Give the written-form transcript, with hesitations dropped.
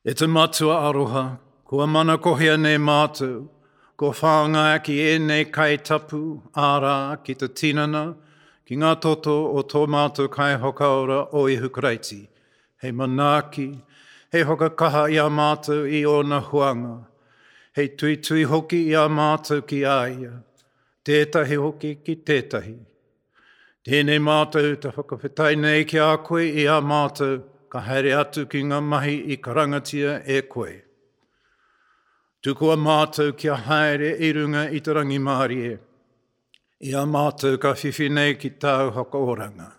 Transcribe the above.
E te Matua aroha, kua manakohia nei mātou, kua whāngaia ki ēnei kai tapu, ārā, ki te tinana, ki ngā toto o tō mātou Kaiwhakaora o Ihu Karaiti, hei manaaki, hei whakakaha i a mātou i ōna huanga, hei tuitui hoki i a mātou ki a ia, tētahi hoki ki tētahi. Tēnei mātou te whakawhetai nei ki a koe i a mātou ka haere atu ki ngā mahi i karangatia e koe. Tukua mātou kia haere i runga i te rangimārie, i a mātou ka whiwhi nei ki tāu whakaoranga.